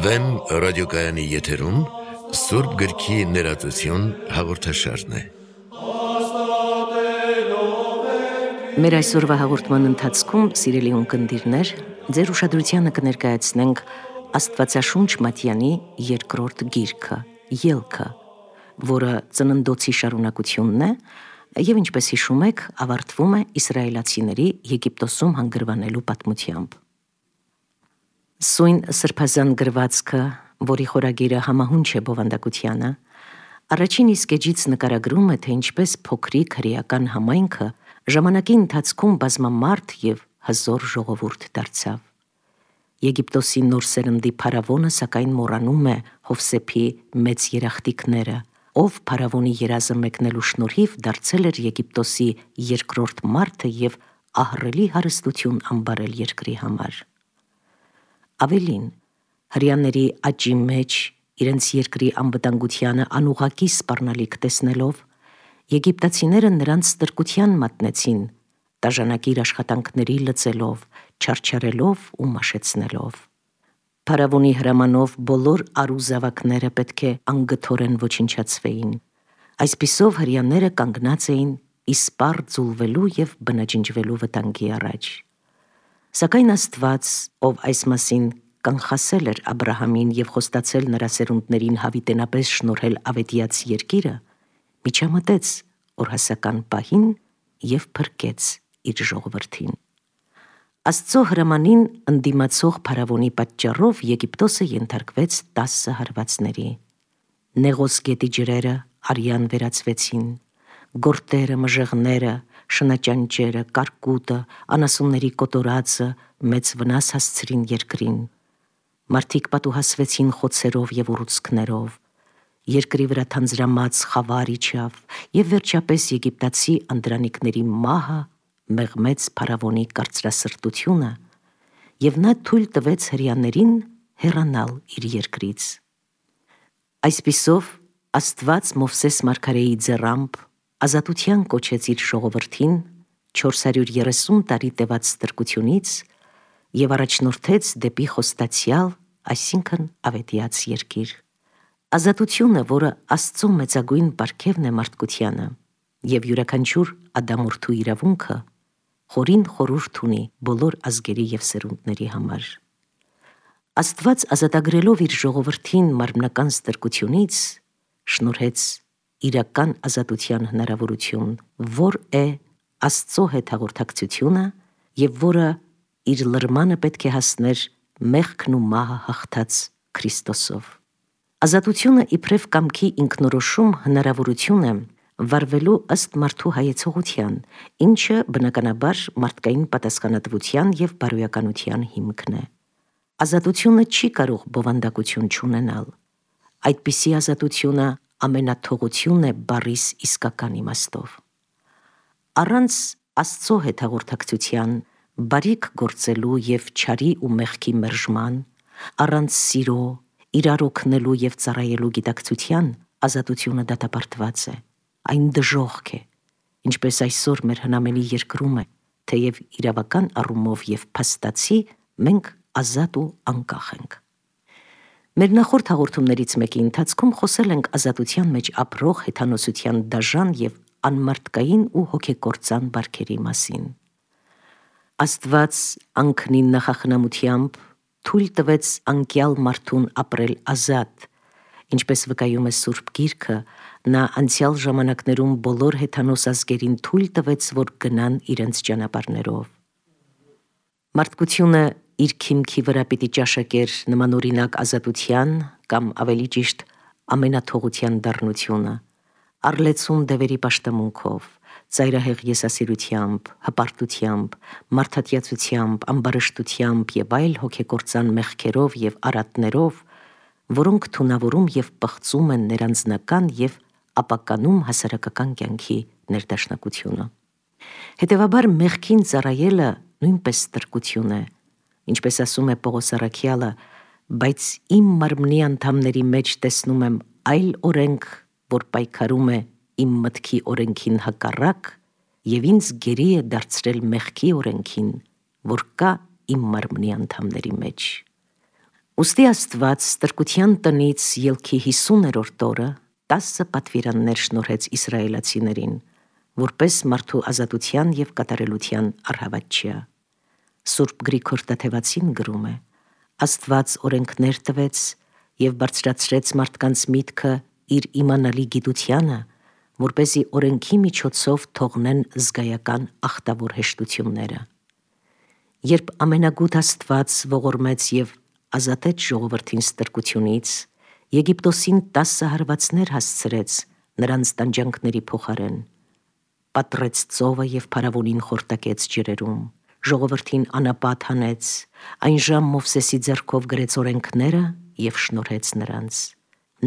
Վեմ ռադիոկայանի եթերում Սուրբ գրքի ներածություն հաղորդաշարն է։ Մեր այսօրվա հաղորդման ընթացքում, սիրելի ունկնդիրներ, ձեր ուշադրությանը կներկայացնենք Աստվածաշունչ Մատյանի երկրորդ գիրքը՝ Ելքը, որը ծննդոցի շարունակությունն է և, ինչպես հիշում եք, ավարտվում է իսրայելացիների Եգիպտոսում հանգրվանելու պատմությամբ։ Սույն սրբազան գրվածքը, որի խորագիրը համահունչ է բովանդակությանը, առաջին իսկ էջից նկարագրում է, թե ինչպես փոքրիկ հրեական համայնքը ժամանակի ընթացքում բազմամարդ և հզոր ժողովուրդ դարձավ։ Եգիպտոսի նոր սերնդի փարավոնը սակայն մոռանում է Հովսեփի մեծ երախտիկները, ով փարավոնի երազը մեկնելու շնորհիվ դարձել էր Եգիպտոսի երկրորդ մարդը և ահռելի հարստություն ամբարել երկրի համար։ Ավելին, հրեաների աճի մեջ իրենց երկրի անվտանգությանը անուղղակի սպառնալիք տեսնելով, եգիպտացիները նրանց ստրկության մատնեցին, տաժանակիր աշխատանքների լծելով, չարչարելով ու մաշեցնելով։ Փարավոնի հրամանով բոլոր արու զավակները պետք է անգթորեն ոչնչացվեին։ Այսպիսով հրեաները կանգնած էին իսպառ ձուլվելու և բնաջնջվելու վտանգի առաջ։ Սակայն Աստված, ով այս մասին կանխասել էր Աբրահամին և խոստացել նրա սերունդներին հավիտենապես շնորհել ավետյաց երկիրը, միջամտեց օրհասական պահին և փրկեց իր ժողովրդին։ Աստծո հրամանին ընդդիմացող փարավոնի պատճառով Եգիպտոսը ենթարկվեց 10 հարվածների։ Նեղոս գետի ջրերը արյան վերածվեցին, գորտերը, մժեղները, շնաճանճերը, կարկուտը, անասունների կոտորածը մեծ վնաս հասցրին երկրին։ Մարդիկ պատուհասվեցին խոցերով և ուռուցքներով, երկրի վրա թանձրամած խավար իջավ և վերջապես եգիպտացի անդրանիկների մահը մեղմեց փարավոնի կարծրասրտությունը և նա թույլ տվեց հրեաներին հեռանալ իր երկրից։ Այսպիսով Աստված Մովսես մարգարեի ձեռամբ ազատության կոչեց իր ժողովրդին 430 տարի տևած ստրկությունից և առաջնորդեց դեպի խոստացյալ, այսինքն ավետյաց երկիր։ Ազատությունը, որը Աստծո մեծագույն պարգևն է մարդկությանը և յուրաքանչյուր ադամորդու իրավունքը, խորին խորհուրդ ունի բոլոր ազգերի և սերունդների համար։ Աստված ազատագրելով իր ժողովրդին մարմնական ստրկությունից, շնորհեց իրական ազատության հնարավորություն, որ է Աստծո հետ հաղորդակցությունը և որը իր լրմանը պետք է հասներ մեղքն ու մահը հաղթած Քրիստոսով։ Ազատությունը իբրև կամքի ինքնորոշում հնարավորություն է վարվելու ըստ մարդու հայեցողության, ինչը բնականաբար մարդկային պատասխանատվության և բարոյականության հիմքն է։ Ազատությունը չի կարող բովանդակություն չունենալ։ Այդպիսի ազատությունը ամենաթողություն է բառիս իսկական իմաստով։ Առանց Աստծո հետ հաղորդակցության, բարիք գործելու և չարի ու մեղքի մերժման, առանց սիրո, իրար օգնելու և ծառայելու գիտակցության, ազատությունը դատապարտված է, այն դժոխք է, ինչպես այսօր մեր հնամենի երկրում է, թեև իրավական առումով և փաստացի մենք ազատ ու անկախ ենք։ Մեր նախորդ հաղորդումներից մեկի ընթացքում խոսել ենք ազատության մեջ ապրող հեթանոսության դաժան և անմարդկային ու հոգեկործան բարքերի մասին։ Աստված անքնին նախախնամությամբ թույլ տվեց անկյալ մարդուն ապրել ազատ, ինչպես վկայում է Սուրբ Գիրքը, նա անցյալ ժամանակներում բոլոր հեթանոս ազգերին թույլ տվեց, որ գնան իրենց ճանապարհներով։ Մարդկությունը իր քիմքի վրա պիտի ճաշակեր նմանօրինակ ազատության կամ ավելի ճիշտ ամենաթողության դառնությունը, առլեցուն դևերի պաշտամունքով, ծայրահեղ եսասիրությամբ, հպարտությամբ, մարդատյացությամբ, ամբարշտությամբ և այլ հոգեկործան մեղքերով և արատներով, որոնք թունավորում և պղծում են ներանձնական և ապականում հասարակական կյանքի ներդաշնակությունը։ Հետևաբար մեղքին ծառայելը նույնպես ստրկություն է, ինչպես ասում է Պողոս առաքյալը, բայց իմ մարմնի անդամների մեջ տեսնում եմ այլ օրենք, որ պայքարում է իմ մտքի օրենքին հակառակ եւ ինձ գերի է դարձրել մեղքի օրենքին, որ կա իմ մարմնի անդամների մեջ։ Ուստի Աստված ստրկության տնից ելքի 50-րդ օրը 10 պատվիրաններ շնորհեց իսրայելացիներին, որպես մարդու ազատության եւ կատարելության առհավատչյա։ Սուրբ Գրիգոր Տաթևացին գրում է. Աստված օրենքներ տվեց եւ բարձրացրեց մարդկանց միտքը իր իմանալի գիտությանը, որպեսզի օրենքի միջոցով թողնեն զգայական ախտավոր հեշտությունները։ Երբ ամենագութ Աստված ողորմեց եւ ազատեց ժողովրդին ստրկությունից, Եգիպտոսին 10 հարվածներ հասցրեց նրանց տանջանքների փոխարեն, պատռեց ծովը եւ փարավոնին խորտակեց ջրերում, ժողովրդին անապատ հանեց, այն ժամ Մովսեսի ձեռքով գրեց օրենքները եւ շնորհեց նրանց,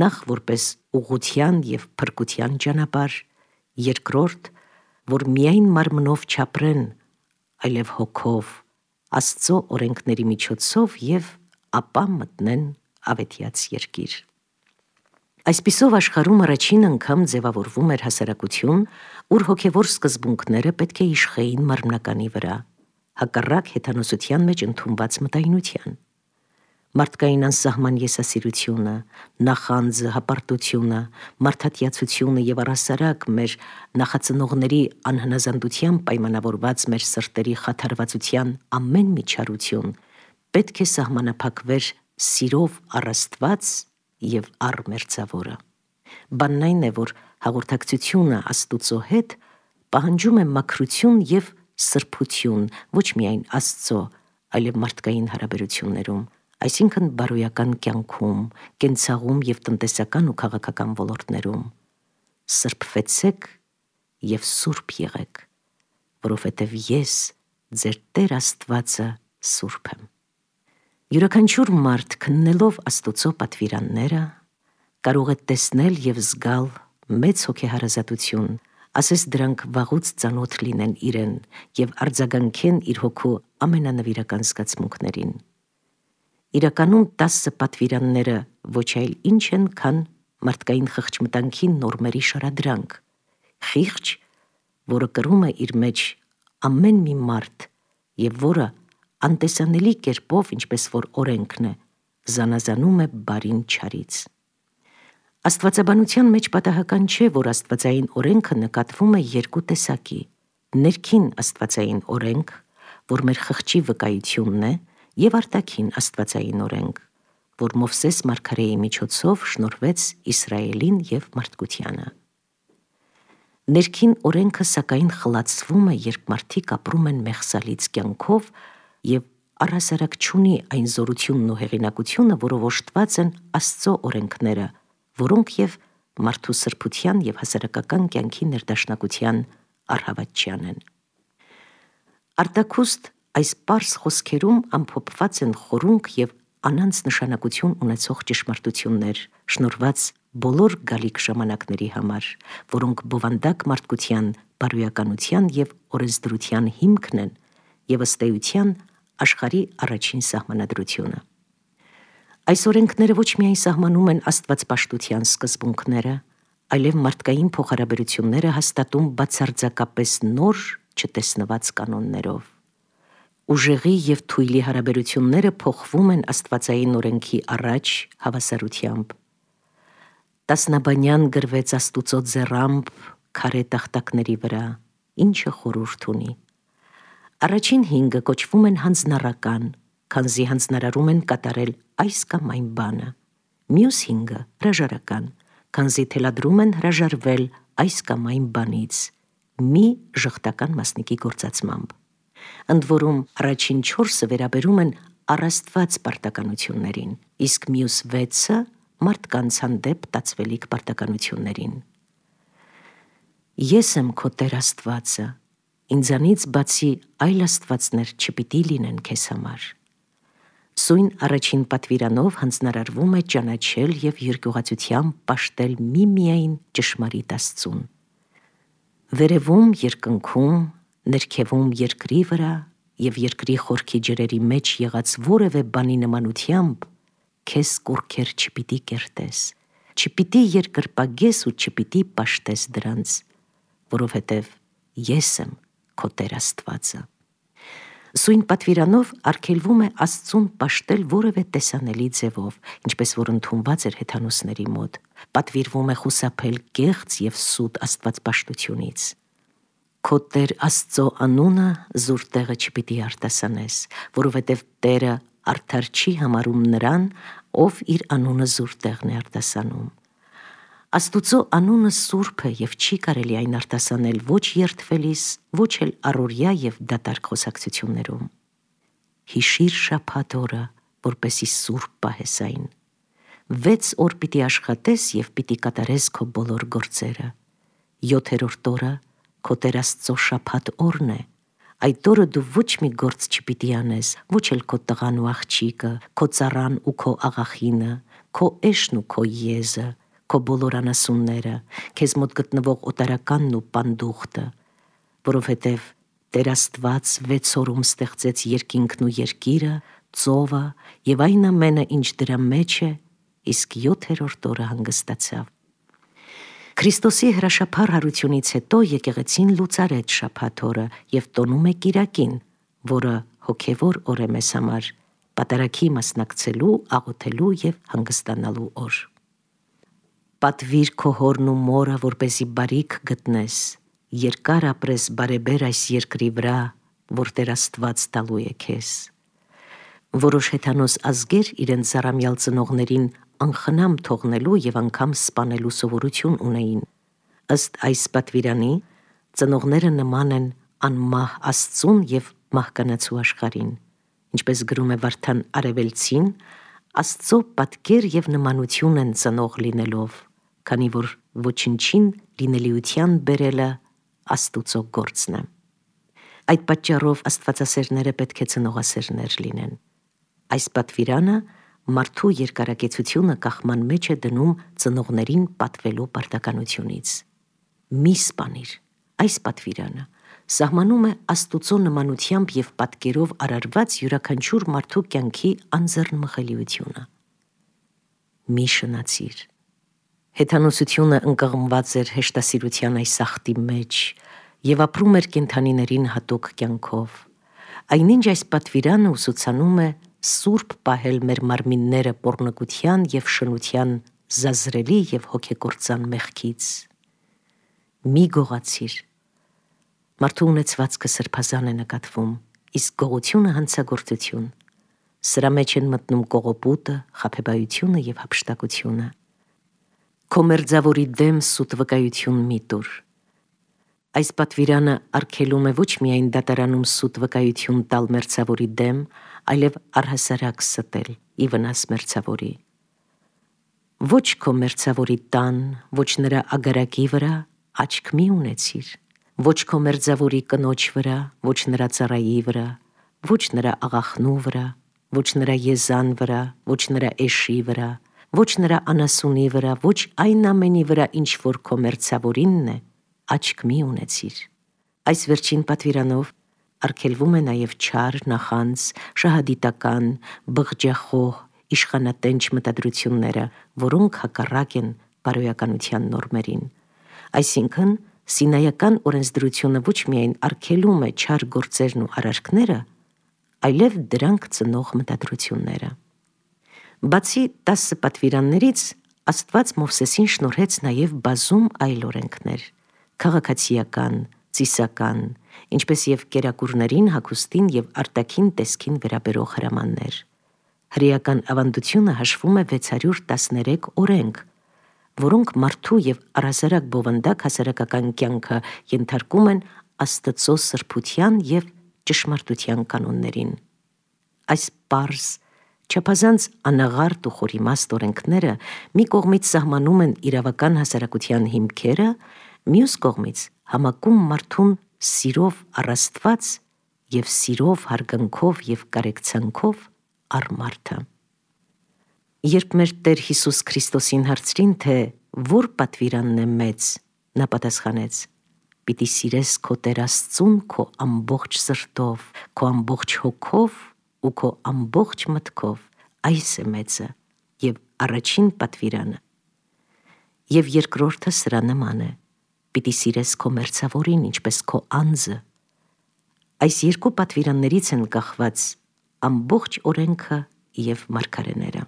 նախ որպես ուղղության եւ փրկության ճանապարհ, երկրորդ, որ միայն մարմնով չապրեն, այլև հոգով, Աստծո օրենքների միջոցով եւ ապա մտնեն ավետյաց երկիր։ Այսպիսով աշխարհում առաջին անգամ ձևավորվում էր հասարակություն, ուր հոգևոր սկզբունքները պետք է իշխեին մարմնականի վրա, հակառակ հեթանոսության մեջ ընդունված մտայնության։ Մարդկային անսահման եսասիրությունը, նախանձը, հպարտությունը, մարդատյացությունը եւ առհասարակ մեր նախածնողների անհնազանդությամբ պայմանավորված մեր սրտերի խաթարվածության ամեն միջարություն պետք է սահմանափակվեր սիրով առ Աստված եւ առ մերձավորը։ Բանն այն է, որ հաղորդակցությունը Աստուծո հետ պահանջում է մաքրություն եւ սրբություն ոչ միայն Աստծո, այլև մարդկային հարաբերություններում, այսինքն բարոյական կյանքում, կենցաղում եւ տնտեսական ու քաղաքական ոլորտներում։ Սրբվեցեք եւ սուրբ եղեք, որովհետեւ ես ձեր Տեր Աստվածը սուրբ եմ։ Յուրաքանչյուր մարդ քննելով Աստուծո պատվիրանները կարող է տեսնել եւ զգալ մեծ հոգեհարազատություն, ասես դրանք վաղուց ծանոթ լինեն իրեն եւ արձագանքեն իր հոգու ամենանվիրական զգացմունքներին։ Իրականում 10 պատվիրանները ոչ այլ ինչ են, քան մարդկային խղճմտանքի նորմերի շարադրանք, խիղճ, որը կրում է իր մեջ ամեն մի մարդ եւ որը անտեսանելի կերպով, ինչպես որ օրենքն է, զանազանում է բարին չարից։ Աստվածաբանության մեջ պատահական չէ, որ աստվածային օրենքը նկատվում է երկու տեսակի. ներքին աստվածային օրենք, որ մեր խղճի վկայությունն է, եւ արտաքին աստվածային օրենք, որ Մովսես մարգարեի միջոցով շնորհվեց Իսրայելին եւ մարդկությանը։ Ներքին օրենքը սակայն խլացվում է, երբ մարդիկ ապրում են մեղսալից կյանքով եւ առհասարակ չունի այն զորությունն ու հեղինակությունը, որով օժտված են Աստծո օրենքները, որոնք եւ մարդու սրբության եւ հասարակական կյանքի ներդաշնակության առհավատչյան են։ Արտաքուստ այս պարզ խոսքերում ամփոփված են խորունկ եւ անանց նշանակություն ունեցող ճշմարտություններ, շնորհված բոլոր գալիք ժամանակների համար, որոնք բովանդակ մարդկության բարոյականության եւ օրենսդրության հիմքն են եւ ըստ էության աշխարհի առաջին սահմանադրությունը։ Այս օրենքները ոչ միայն սահմանում են աստվածպաշտության սկզբունքները, այլև մարդկային փոխհարաբերությունները հաստատում բացարձակապես նոր, չտեսնված կանոններով։ Ուժեղի եւ թույլի հարաբերությունները փոխվում են աստվածային օրենքի առաջ հավասարությամբ։ Տասնաբանյան գրվեց Աստուծո ձեռամբ քարե տախտակների վրա, ինչը խորհուրդ ունի։ Առաջին 5 կոչվում են հանձնառական, քանզի հանձնարարում են կատարել այս կամ այն բանը։ Մյուս 5 հրաժարական, քանզի թելադրում են հրաժարվել այս կամ այն բանից, մի ժխտական մասնիկի գործածմամբ։ Ընդ որում առաջին 4-ը վերաբերում են առաստված պարտականություններին, իսկ մյուս 6-ը մարդկանց հանդեպ տածվելիք պարտականություններին։ Ես եմ քո Տեր Աստվածը, ինձանից բացի այլ աստվածներ չպիտի լինեն քեզ համար։ Սույն առաջին պատվիրանով հանձնարարվում է ճանաչել եւ երկյուղացությամբ պաշտել միմիայն ճշմարիտ Աստծուն։ Վերևում երկնքում, ներքևում երկրի վրա եւ երկրի խորքի ջրերի մեջ եղած որևէ բանի նմանությամբ քեզ կուռքեր չպիտի կերտես, չպիտի երկրպագես ու չպիտի պաշտես դրանց, որովհետև ես եմ քո Տեր Աստվածը։ Սույն պատվիրանով արգելվում է Աստծուն պաշտել որևէ տեսանելի ձևով, ինչպես որ ընդունված էր հեթանոսների մոտ, պատվիրվում է խուսափել կեղծ և սուտ աստվածպաշտությունից։ Քո Տեր Աստծո անունը զուր տեղը չպիտի արտասանես, որովհետև Տերը արդար չի համարում նրան, ով իր անունը զուր տեղն է արտասանում։ Աստուծո անունը սուրբ է և չի կարելի այն արտասանել ոչ երդվելիս, ոչ էլ առօրյա և դատարկ խոսակցություններում։ Հիշիր շաբաթ օրը, որպեսզի սուրբ պահես այն։ 6 օր պիտի աշխատես և պիտի կատարես քո բոլոր գործերը։ 7-րդ օրը քո Տեր Աստծո շաբաթ օրն է։ Այդ օրը դու ոչ մի գործ չպիտի անես, ոչ էլ քո տղան ու աղջիկը, քո ծառան ու քո աղախինը, քո էշն ու քո եզը, քո բոլոր անասունները, քեզ մոտ գտնվող օտարականն ու պանդուխտը, որովհետև Տեր Աստված 6 օրում ստեղծեց երկինքն ու երկիրը, ծովը և այն ամենը, ինչ դրա մեջ է, իսկ 7-րդ օրը հանգստացավ։ Քրիստոսի հրաշափառ հարությունից հետո եկեղեցին լուծարեց շաբաթ օրը և տոնում է կիրակին, որը հոգևոր օր է մեզ համար, պատարագի մասնակցելու, աղոթելու և հանգստանալու օր։ Պատվիր քո հորն ու մորը, որպեսզի բարիք գտնես, երկար ապրես բարեբեր այս երկրի վրա, որ Տեր Աստված տալու է քեզ։ Որոշ հեթանոս ազգեր իրենց զառամյալ ծնողներին անխնամ թողնելու և անգամ սպանելու սովորություն ունեին։ Ըստ այս պատվիրանի, ծնողները նման են անմահ Աստծուն և մահկանացու աշխարհին։ Ինչպես գրում է Վարդան Արևելցին, Աստծո պատկեր և նմանություն են ծնող լինելով, քանի որ ոչնչին լինելիության բերելը Աստուծո գործն է։ Այդ պատճառով աստվածասերները պետք է ծնողասերներ լինեն։ Այս պատվիրանը մարդու երկարակեցությունը կախման մեջ է դնում ծնողներին պատվելու պարտականությունից։ Մի սպանիր, այս պատվիրանը սահմանում է Աստուծո նմանությամբ և պատկերով արարված յուրաքանչյուր մարդու կյանքի անձեռնմխելիությունը։ Մի շնացիր։ Հեթանոսությունը ընկղմված էր հեշտասիրության այս աղտի մեջ և ապրում էր կենդանիներին հատուկ կյանքով։ Այնինչ այս պատվիրանը ուսուցանում է սուրբ պահել մեր մարմինները պոռնկության և շնության զազրելի և հոգեկործան մեղքից։ Մի գողացիր։ Մարդու ունեցվածքը սրբազան է նկատվում, իսկ գողությունը հանցագործություն։ Սրա մեջ են մտնում կողոպուտը, խաբեբայությունը և հափշտակությունը։ Քո մերձավորի դեմ սուտ վկայություն մի տուր։ Այս պատվիրանը արգելում է ոչ միայն դատարանում սուտ վկայություն տալ մերձավորի դեմ, այլև առհասարակ ստել ի վնաս մերձավորի։ Ոչ քո մերձավորի տան, ոչ նրա ագարակի վրա աչք մի ունեցիր, ոչ քո մերձավորի կնոջ վրա, ոչ նրա ծառայի վրա, ոչ նրա աղախնու վրա, ոչ նրա եզան վրա, ոչ նրա էշի վրա, ոչ նրա անասունի վրա, ոչ այն ամենի վրա, ինչ որ քո մերձավորինն է, աչք մի ունեցիր։ Այս վերջին պատվիրանով արգելվում է նաև չար, նախանձ, շահադիտական, բղջախոհ, իշխանատենչ մտադրությունները, որոնք հակառակ են բարոյականության նորմերին։ Այսինքն, Սինայական օրենսդրությունը ոչ միայն արգելում է չար գործերն ու արարքները, այլև դրանք ծնող մտադրությունները։ Բացի 10 պատվիրաններից, Աստված Մովսեսին շնորհեց նաև բազում այլ օրենքներ՝ քաղաքացիական, ծիսական, ինչպես և կերակուրներին, հագուստին և արտաքին տեսքին վերաբերող հրամաններ։ Հրեական ավանդությունը հաշվում է 613 օրենք, որոնք մարդու և առհասարակ բովանդակ հասարակական կյանքը ենթարկում են Աստծո սրբության և ճշմարտության կանոններին։ Այս պարզ, չափազանց անաղարտ ու խորիմաստ օրենքները մի կողմից սահմանում են իրավական հասարակության հիմքերը, մյուս կողմից համակում մարդուն սիրով առ Աստված և սիրով, հարգանքով և կարեկցանքով առ մարդը։ Երբ մեր Տեր Հիսուս Քրիստոսին հարցրին, թե որ պատվիրանն է մեծ, նա պատասխանեց. «Պիտի սիրես քո Տեր Աստծուն քո ամբողջ սրտով, քո ամբողջ հոգով ու քո ամբողջ մտքով, այս է մեծը և առաջին պատվիրանը։ Եվ երկրորդը սրա նման է. պիտի սիրես քո մերձավորին, ինչպես քո անձը։ Այս երկու պատվիրաններից են կախված ամբողջ օրենքը և մարգարեները։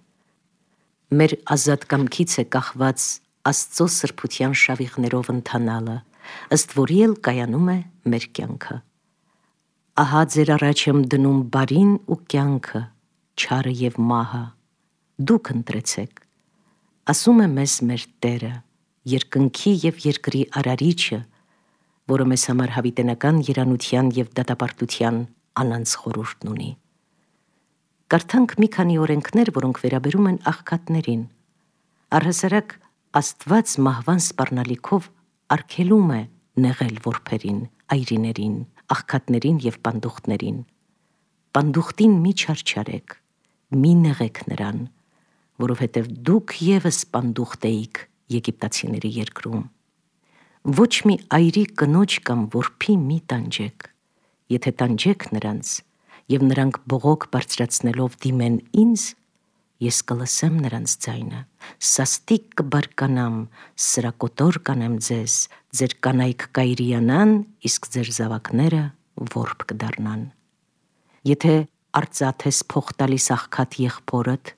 Մեր ազատ կամքից է կախված Աստծո սրբության շավիղներով ընթանալը, ըստ որի էլ կայանում է մեր կյանքը։ Ահա ձեր առաջ եմ դնում բարին ու կյանքը, չարը և մահը, դուք ընտրեցեք, ասում է մեզ մեր Տերը, երկնքի և երկրի արարիչը, որը մեզ համար հավիտենական երանության և դատապարտության անանց խորհուրդն ունի։ Կարդանք մի քանի օրենքներ, որոնք վերաբերում են աղքատներին։ Առհասարակ Աստված մահվան սպառնալիքով արգելում է նեղել որբերին, այրիներին, աղքատներին և պանդուխտներին։ Պանդուխտին մի չարչարեք, մի նեղեք նրան, որովհետև դուք ևս պանդուխտ էիք եգիպտացիների երկրում։ Ոչ մի այրի կնոջ կամ որբի մի տանջեք, եթե տանջեք նրանց, և նրանք բողոք բարձրացնելով դիմեն ինձ, ես կլսեմ նրանց ձայնը, սաստիկ կբարկանամ, սրակոտոր կանեմ ձեզ, ձեր կանայք կայրիանան, իսկ ձեր զավակները որբ կդառնան։ Եթե արծաթ ես փող տալիս աղքատ եղբորդ,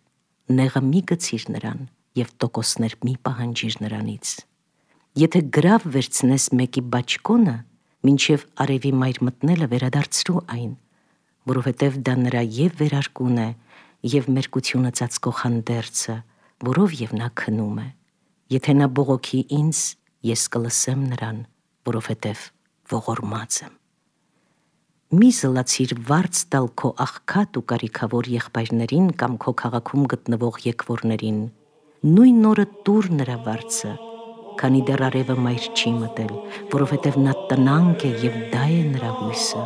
նեղը մի գցիր նրան և տոկոսներ մի պահանջիր նրանից։ Եթե գրավ վերցնես մեկի բաճկոնը, մինչև արևի մայր մտնելը վերադարձրու այն, որովհետև դա նրա և վերարկուն է, և մերկությունը ծածկող հանդերձը, որով և նա քնում է։ Եթե նա բողոքի ինձ, ես կլսեմ նրան, որովհետև ողորմած եմ։ Մի զլացիր վարձ տալ քո աղքատ ու կարիքավոր եղբայրներին կամ քո քաղաքում գտնվող եկվորներին, նույն օրը տուր նրա վարձը, քանի դեռ արևը մայր չի մտել, որովհետև նա տնանկ է և դա է նրա հույսը։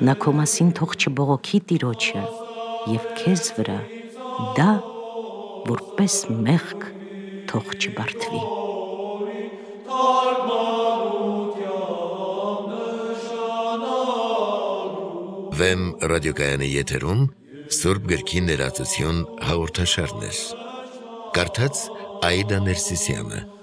Նա քո մասին թող չբողոքի Տիրոջը և քեզ վրա դա որպես մեղք թող չբարդվի։ Վեմ ռադիոկայանի եթերում Սուրբ գրքի ներածություն հաղորդաշարներ։ Կարդաց Աիդա Ներսիսյանը։